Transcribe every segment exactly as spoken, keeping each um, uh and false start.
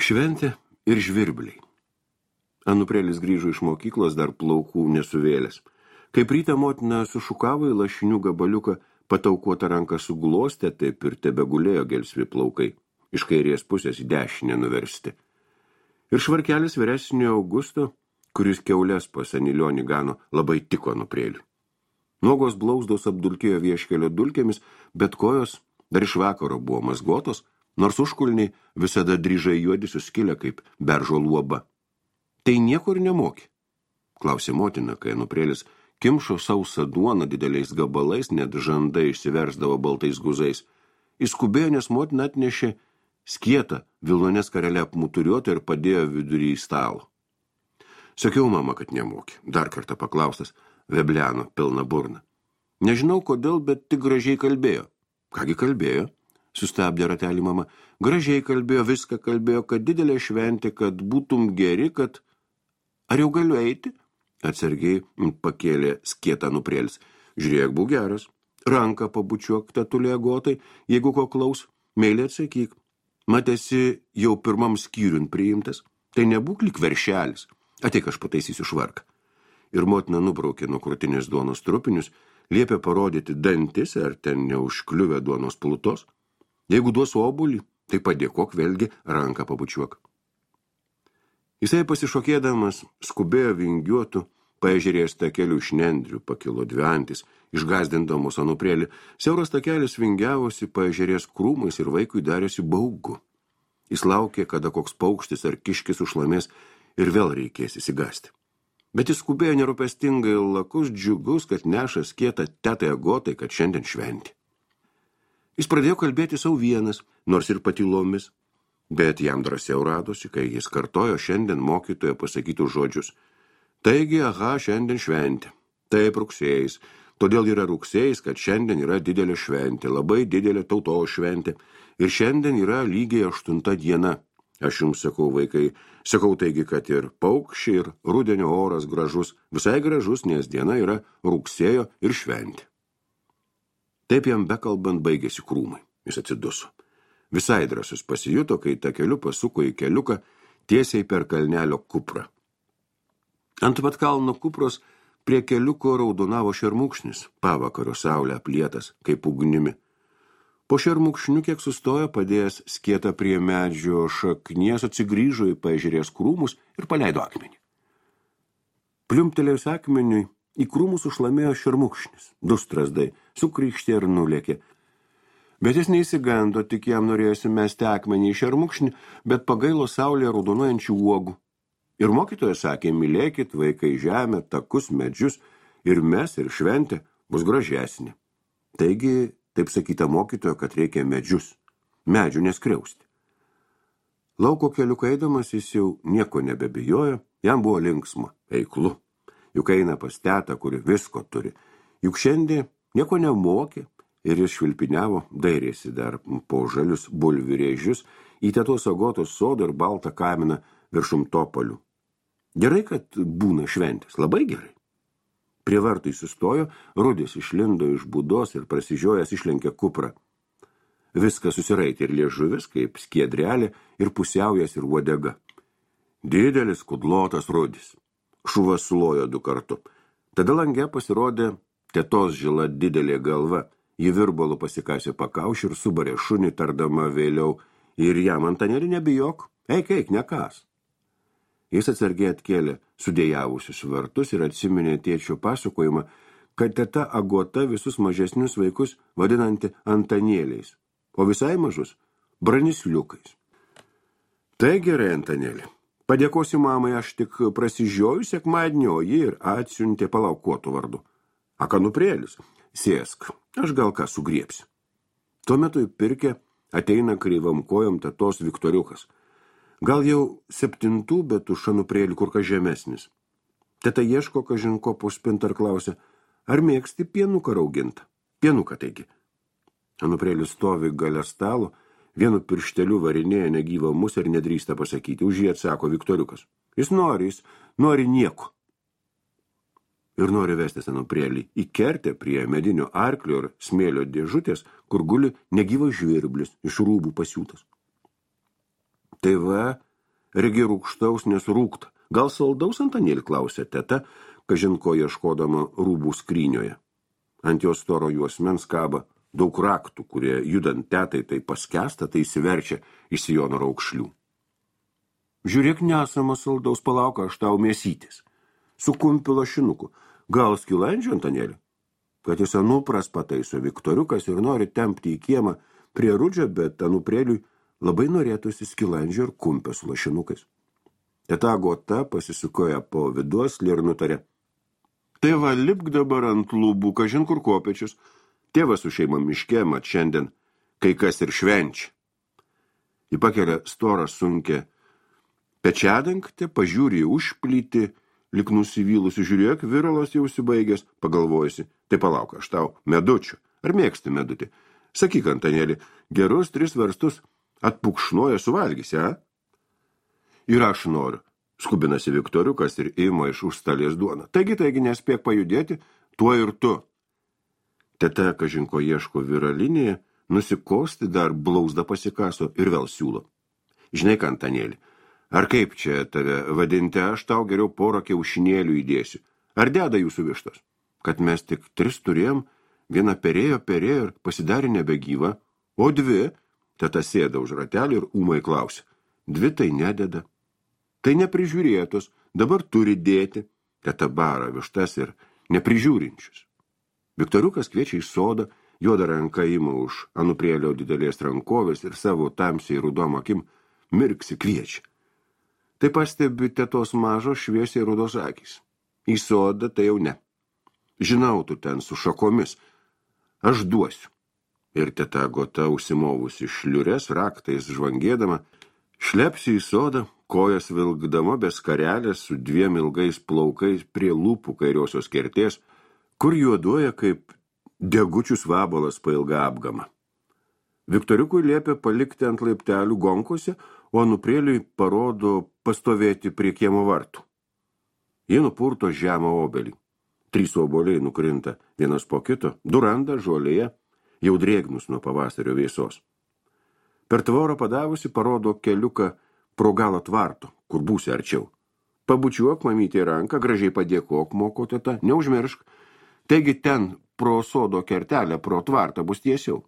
Šventė ir žvirbliai. Anuprelis grįžo iš mokyklos dar plaukų nesuvėlęs. Kaip rytą motina sušukavo į lašinių gabaliuką, pataukuotą ranką suglostė, taip ir tebegulėjo gelsvi plaukai, iš kairės pusės į dešinę nuversti. Ir švarkelis vyresnio Augusto, kuris kiaulės pas Anilionį gano, labai tiko Anupreliui. Nuogos blauzdos apdulkėjo vieškelio dulkėmis, bet kojos dar iš vakaro buvo mazgotos, nors užkulniai visada dryžai juodi suskilę kaip beržo luoba. Tai nieko ir nemokė, klausė motina, kai Anuprelis kimšo sausą duoną dideliais gabalais, net žandai išsiversdavo baltais guzais. Įskubėjo, nes motina atnešė skietą, vilnonės karelę apmuturiuotą ir padėjo vidurį į stalą. Sakiau, mama, kad nemokė, dar kartą paklaustas, vebleno pilna burna. Nežinau kodėl, bet tik gražiai kalbėjo. Kągi kalbėjo? Sustabdė ratelį mama. Gražiai kalbėjo, viską kalbėjo, kad didelė šventė, kad būtum geri, kad... Ar jau galiu eiti? Atsargiai pakėlė skietą Anuprelis. Žiūrėk, būk geras. Ranką pabučiuok tetulė agotai, jeigu ko klaus, meiliai atsakyk. Matėsi jau pirmam skyriun priimtas. Tai nebūk lyg veršelis. Ateik, aš pataisysiu švarką. Ir motina nubraukė nuo krūtinės duonos trupinius, liepė parodyti dantis, ar ten neužkliuvę duonos plutos. Jeigu duos obulį, tai padėkok vėlgi ranką pabučiuok. Jisai pasišokėdamas skubėjo vingiuotų, paežerės takelių iš nendrių, pakilo dvi antys, išgazdindamos Anuprelį. Siauras takelis vingiavosi paežerės krūmais ir vaikui darėsi baugu. Jis laukė, kada koks paukštis ar kiškis užlamės ir vėl reikės įsigasti. Bet jis skubėjo nerūpestingai lakus džiugus, kad neša skietą tetai agotai, kad šiandien šventė. Jis pradėjo kalbėti savo vienas, nors ir patylomis, bet jam drąsiau radosi, kai jis kartojo šiandien mokytojo pasakytų žodžius. Taigi, aha, šiandien šventė. Taip rugsėjais. Todėl yra rugsėjais, kad šiandien yra didelė šventė, labai didelė tautos šventė. Ir šiandien yra lygiai aštunta diena. Aš jums sakau, vaikai, sakau taigi, kad ir paukščiai, ir rudenio oras gražus, visai gražus, nes diena yra rugsėjo ir šventė. Taip jam bekalbant baigėsi krūmai. Jis atsiduso. Visai drąsus pasijuto, kai takeliu pasuko į keliuką tiesiai per kalnelio kuprą. Ant pat kalno kupros prie keliuko raudonavo šermukšnis, pavakario saulė aplietas, kaip ugnimi. Po šermukšniu kiek sustojo, padėjęs skietą prie medžio šaknies, atsigrįžo į paežerės krūmus ir paleido akmenį. Pliumtelėjus akmeniui, į krūmus užlamėjo šermukšnis, du strazdai, sukrykštė ir nulėkė. Bet jis neįsigando, tik jam norėjosi mesti akmenį į šermukšnį, bet pagailo saulėje raudonuojančių uogų. Ir mokytojas sakė, mylėkit vaikai žemę, takus, medžius, ir mes, ir šventė bus gražesnė. Taigi, taip sakyta mokytojo, kad reikia medžius, medžių neskriausti. Lauko keliuku eidamas jis jau nieko nebebijojo, jam buvo linksma, eiklu. Juk eina pas tetą, kuri visko turi. Juk šiandien nieko nemokė. Ir jis švilpiniavo, dairėsi dar po žalius bulvirėžius, į tetos agotos sodą ir baltą kaminą viršum topalių. Gerai, kad būna šventės, labai gerai. Prie vartų sustojo, Rudis išlindo iš būdos ir prasižiojęs išlenkė kuprą. Viską susiraitė ir liežuvis, kaip skiedrelė, ir pusiaujas ir uodega. Didelis kudlotas Rudis. Šuva sulojo du kartu. Tada lange pasirodė tetos žila didelė galva. Ji virbalų pasikasė pakaušį ir subarė šunį, tardama vėliau, ir jam Antanėlį nebijok, eik, eik, nekas. Jis atsargiai atkėlė sudėjavusius vartus ir atsiminė tėčio pasakojimą, kad teta Agota visus mažesnius vaikus vadinanti Antanėliais, o visai mažus branisliukais. Tai gerai, Antanėlį, padėkosi mamai, aš tik prasižioju sekmadienį, o ji ir atsiuntė palaukuotų vardu. Anuprelis, sėsk, aš gal ką sugriepsi. Tuo metu į pirkę ateina kreivam kojom tetos Viktoriukas. Gal jau septintų, bet už Anuprelį kur kas žemesnis. Teta ieško kažinko po spintą ir klausia, ar mėgsti pienuką raugintą? Pienuką taigi. Anuprelis stovi gale stalo, vienu piršteliu varinėja negyvą musę ir nedrįsta pasakyti. Už jį atsako Viktoriukas. Jis nori, jis nori nieko. Ir nori vestis Anuprelį į kertę prie medinio arklio ir smėlio dėžutės, kur guli negyvas žvirblis iš rūbų pasiūtas. Tai va, regi rūkštaus nesurūkta. Gal saldaus, Antanėli, klausė teta, kažinko ieškodama rūbų skrynioje. Ant jos storo juosmens kaba daug raktų, kurie judant tetai tai paskesta, tai įsiverčia iš sijono raukšlių. Žiūrėk, nesama saldaus, palauk, aš tau mėsytis. Su kumpiu lašinuku. Gal skilandžio, Antanėli? Kad jis anupras pataiso Viktoriukas ir nori tempti į kiemą prie rudžio, bet anuprėliui labai norėtųsi skilandžio ir kumpio su lašinukais. Teta Agota pasisukoja po viduoslį ir nutarė. Tai va, lipk dabar ant lūbų, kažin kur kopečius. Tėvas su šeima miške, mat šiandien kai kas ir švenčia. Ji pakelia storą sunkę pečiadangtę, pažiūrė užplyti, lik nusivylusi, žiūrėk, viralas jau užsibaigęs, pagalvojusi, tai palauk, aš tau medučių. Ar mėgsti medutį? Sakyk, Antanėli, gerus tris verstus atpukšnoja suvalgysi, a? Ir aš noriu, skubinasi Viktoriukas ir ima iš užstalės duoną. Taigi, taigi, nespėk pajudėti, tuo ir tu. Teta kažinko ieško viralinėje, nusikosti dar blauzdą pasikaso ir vėl siūlo. Žinai, Antanėli, ar kaip čia tave vadinti, aš tau geriau porą kiaušinėlių įdėsiu. Ar deda jūsų vištos? Kad mes tik tris turėjom, viena perėjo, perėjo ir pasidarė nebegyva, o dvi, teta sėda už ratelį ir ūmai klausė. Dvi tai nededa. Tai neprižiūrėtos, dabar turi dėti, teta bara vištas ir neprižiūrinčius. Viktoriukas kviečia į sodą, juoda ranka ima už anuprėlio didelės rankovės ir savo tamsiai rudom akim mirksi kviečia. Tai pastebi tetos mažos šviesiai rudos akys. Į sodą tai jau ne. Žinau, tu ten su šakomis. Aš duosiu. Ir teta Agota užsimovusi šliures, raktais žvangėdama, šlepsi į sodą, kojas vilkdama be skarelės su dviem ilgais plaukais prie lūpų kairiosios kertės, kur juoduoja kaip degučius vabalas pailga apgama. Viktoriukui liepia palikti ant laiptelių gonkose, o anuprėliui parodo pastovėti prie kiemo vartų. Jie nupurto žemą obelį. Trys obuoliai nukrinta vienas po kito, du randa žolėje, jau drėgnus nuo pavasario vėsos. Per tvorą padavusi parodo keliuką pro galą tvarto, kur būsi arčiau. Pabučiuok mamytė ranką, gražiai padėkok, moko teta, neužmiršk. Taigi ten pro sodo kertelę, pro tvartą bus tiesiau.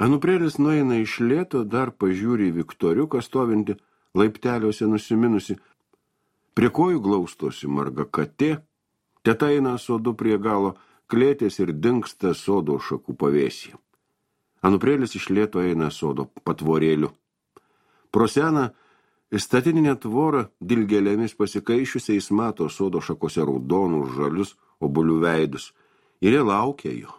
Anuprėlis nueina iš lėto, dar pažiūri Viktoriuką stovinti, laipteliuose nusiminusi. Prie kojų glaustosi marga katė, teta eina sodu prie galo klėtės ir dingsta sodo šakų pavėsyje. Anuprėlis iš lėto eina sodo patvorėliu. Pro seną statininę tvorą dilgėlėmis pasikaišiusiais mato sodo šakose raudonus žalius obuolių veidus ir jie laukia jo.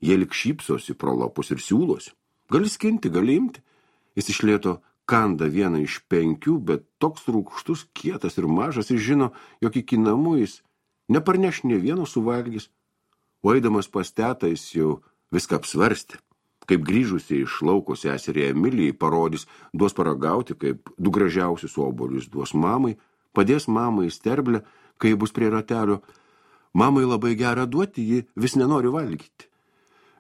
Jie lik šypsosi pro lapus ir siūlosi. Gali skinti, gali imti. Jis iš lėto kanda vieną iš penkių, bet toks rūgštus, kietas ir mažas, jis žino, jog iki namų jis neparneš nė vieno suvalgys. O eidamas pas tetą jis jau viską apsvarstė. Kaip grįžusiai iš lauko seserė Emilijai parodys, duos paragauti, kaip du gražiausius obuolius duos mamai, padės mamai sterblę, kai bus prie ratelio. Mamai labai gerą duoti, ji vis nenori valgyti.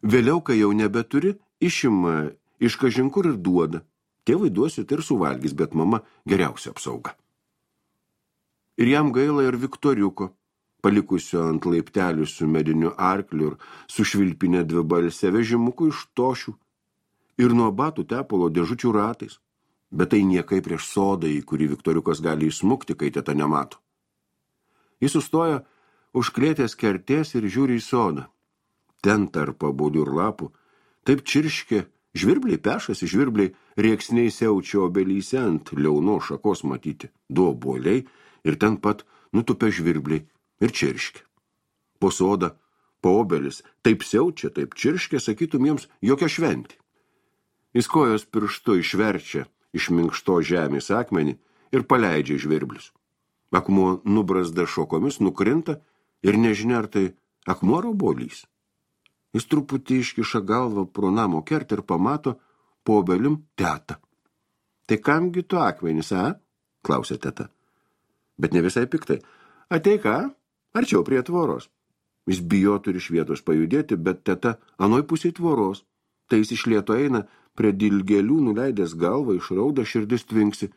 Vėliau, kai jau nebeturi, išima iš kažinkur ir duoda. Tėvai duosit ir suvalgys, bet mama geriausia apsauga. Ir jam gaila ir Viktoriuko, palikusio ant laiptelių su mediniu arkliu ir su švilpinė dvibalse vežimuku iš tošių ir nuo batų tepalo dėžučių ratais. Bet tai niekai prieš sodą, į kurį Viktoriukas gali įsmukti, kai teta nemato. Jis sustoja už klėtės kertės ir žiūri į sodą. Ten tarp obuolių ir lapų, taip čirškė, žvirbliai pešasi, žvirbliai rėksniai siaučia obelyse ant liauno šakos matyti. Du obuoliai ir ten pat nutupia žvirbliai ir čirškė. Po sodą, po obelis, taip siaučia, taip čirškė, sakytum jiems jokia šventė. Jis kojos pirštu išverčia iš minkšto žemės akmenį ir paleidžia žvirblius. Akmuo nubrazda šokomis, nukrinta ir nežinia, ar tai akmuo ar obuolys. Jis truputį iškiša galvą pro namo kertę ir pamato po obelim tetą. Tai kamgi tu akmenis, a? Klausė teta. Bet ne visai piktai. Ateik, a? Arčiau prie tvoros. Jis bijotų ir iš vietos pajudėti, bet teta anoj pusėj tvoros. Tai jis iš lėto eina prie dilgėlių, nuleidęs galvą, išrauda, širdis tvinksi.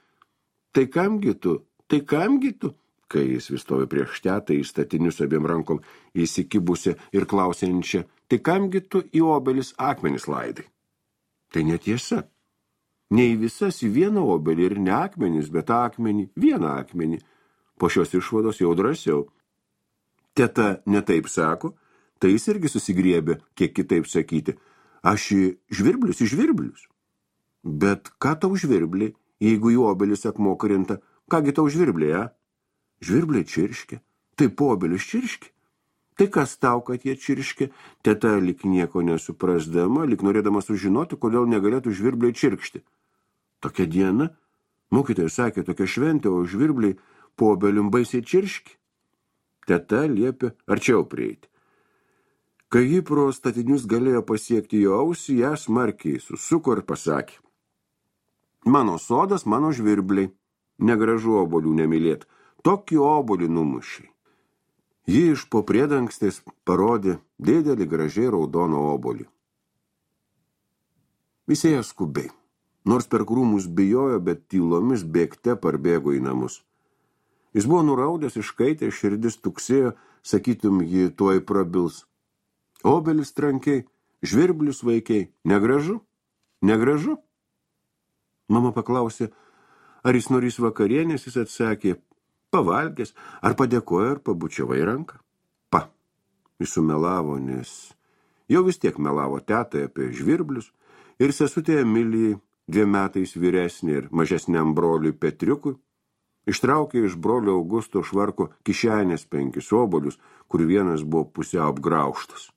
Tai kamgi tu, tai kamgi tu, kai jis vis stovi prieš tetą į statinius abiem rankom įsikibusią ir klausiančią, tai kamgi tu į obelis akmenis laidai. Tai netiesa. Ne į visas į vieną obelį ir ne akmenis, bet akmenį, vieną akmenį. Po šios išvados jau drąsiau. Teta netaip sako, tai jis irgi susigriebė, kiek kitaip sakyti. Aš į žvirblius, į žvirblius. Bet ką tau žvirbliai, jeigu į obelis akmuo krinta, kągi tau žvirbliai, a? Žvirbliai čirškia, tai po obelis čirškia. Tai kas tau, kad jie čirškia? Teta lyg nieko nesuprasdama, lyg norėdama sužinoti, kodėl negalėtų žvirbliai čirkšti. Tokia diena, mokytojas sakė, tokia šventė, o žvirbliai po obelim baisiai čirški. Teta liepė arčiau prieiti. Kai ji pro statinius galėjo pasiekti jo ausį, ją smarkiai susuko ir pasakė. Mano sodas, mano žvirbliai, negražu obolių nemylėt, tokį obolį numušiai. Ji iš po priedangstės parodė didelį gražiai raudoną obolį. Jis ėjo skubiai, nors per krūmus bijojo, bet tylomis bėgte parbėgo į namus. Jis buvo nuraudęs, iškaitė, širdis tuksėjo, sakytum, ji tuoj prabils. Obelis trankiai, žvirblius vaikiai, negražu? Negražu? Mama paklausė, ar jis norės vakarienės, jis atsakė, pavalgęs, ar padėkojo, ar pabučiavai ranką. Pa, jis sumelavo, nes jau vis tiek melavo tetai apie žvirblius ir sesutė Emilijai, dviem metais vyresnė ir mažesniam broliui Petriukui, ištraukė iš brolio Augusto švarko kišenės penkis obolius, kur vienas buvo pusiau apgraužtas.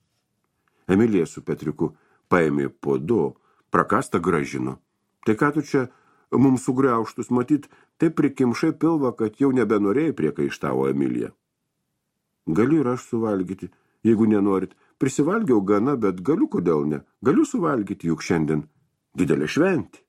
Emilija su Petriuku paėmė po du, prakastą gražino. Tai ką tu čia mums sugriauštus matyt, taip prikimšai pilvą, kad jau nebenorėjai, priekaištavo Emilija. Galiu ir aš suvalgyti, jeigu nenorit. Prisivalgiau gana, bet galiu, kodėl ne. Galiu suvalgyti, juk šiandien didelė šventė.